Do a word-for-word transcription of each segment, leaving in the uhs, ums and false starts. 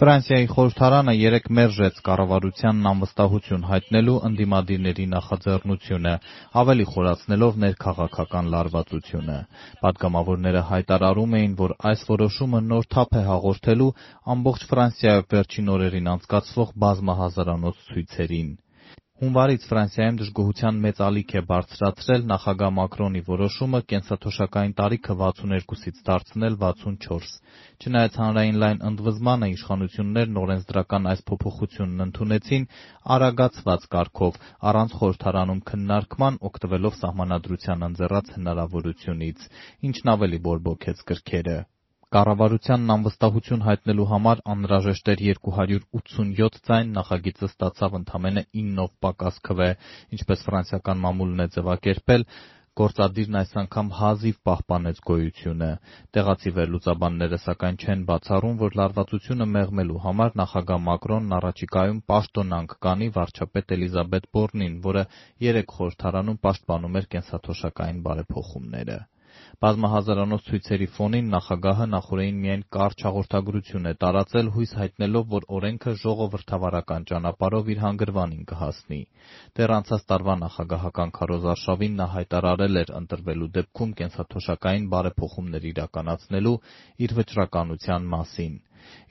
Ֆրանսիայի խորհրդարանը երեկ մերժեց կառավարությանն անվստահություն հայտնելու ընդդիմադիրների նախաձեռնությունը, ավելի խորացնելով ներքաղաքական լարվածությունը։ Պատգամավորները հայտարարում էին, որ այս որոշումը նոր թափ է հաղորդելու ամբողջ Ֆրանսիայով վերջին օրերին անցկացվող բազմահազարանոց ցույցերին։ Հունվարից Ֆրանսիայում դժգոհության մեծ ալիք է բարձրացրել նախագահ Մակրոնի որոշումը կենսաթոշակային տարիքը վաթսուներկուսից դարձնել վաթսունչորս։ Չնայած հանրային լայն ընդվզմանը, իշխանություններն օրենսդրական այս փոփոխությունն ընդունեցին արագացված կարգով, առանց խորհրդարանում քննարկման, օգտվելով սահմանադրության ընձեռած հնարավորությունից, ինչն ավելի բորբոքեց կրքերը։ Կառավարությանն անվստահություն հայտնելու համար անհրաժեշտ էր երկու հարյուր ութսունյոթ ձայն, նախագիծը ստացավ ընդամենը իննով պակաս քվե, ինչպես ֆրանսիական մամուլն է ձևակերպել, գործադիրն այս անգամ հազիվ պահպանեց գոյությունը։ Տեղացի վերլուծաբանները սակայն չեն բացառում, որ լարվածությունը մեղմելու համար նախագահ Մակրոնն առաջիկայում պաշտոնանկ կանի վարչապետ Էլիզաբեթ Բորնին, որը երեկ խորհրդարանում պաշտպանում էր կենսաթոշակային բարեփոխումները։ Բազմահազարանոց ցույցերի ֆոնին նախագահը նախօրեին միայն կարճ հաղորդագրություն է տարածել, հույս հայտնելով, որ օրենքը ժողովրդավարական ճանապարհով իր հանգրվանին կհասնի։ Դեռ անցած տարվա նախագահական քարոզարշավին նա հայտարարել էր ընտրվելու դեպքում կենսաթոշակային բարեփոխումներ իրականացնելու իր վճռականության մասին։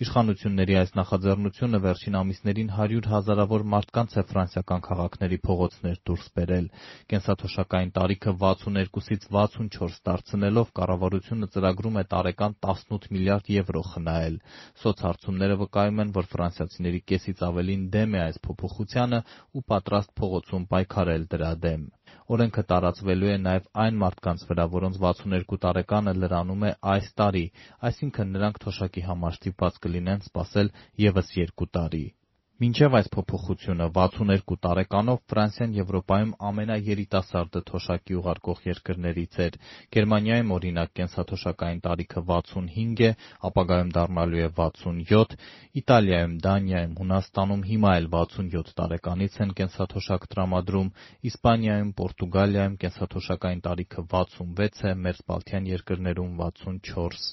Իշխանությունների այս նախաձեռնությունը վերջին ամիսներին հարյուր հազարավոր մարդկանց է ֆրանսիական քաղաքների փողոցներ դուրս բերել։ Կենսաթոշակային տարիքը վաթսուներկուսից վաթսունչորս դարձնելով կառավարությունը ծրագրում է տարեկան տասնութ միլիարդ եվրո խնայել։ Սոցհարցումները վկայում են, որ ֆրանսիացիների կեսից ավելին դեմ է այս փոփոխությանը ու պատրաստ փողոցում պայքարել դրա դեմ։ Օրենքը տարածվելու է նաև այն մարդկանց վրա, որոնց վաթսուներկու տարեկանը լրանում է այս տարի, այսինքն նրանք թոշակի համար ստիպված կլինեն սպասել ևս երկու տարի։ Մինչև այս փոփոխությունը վաթսուներկու տարեկանով Ֆրանսիան Եվրոպայում ամենաերիտասարդը թոշակի ուղարկող երկրներից էր։ Գերմանիայում, օրինակ, կենսաթոշակային տարիքը վաթսունհինգ է, ապագայում դառնալու է վաթսունյոթ, Իտալիայում, Դանիայում, Հունաստանում հիմա էլ վաթսունյոթ տարեկանից են կենսաթոշակ տրամադրում, Իսպանիայում, Պորտուգալիայում կենսաթոշակային տարիքը վաթսունվեց է, մերձբալթյան երկրներում վաթսունչորս։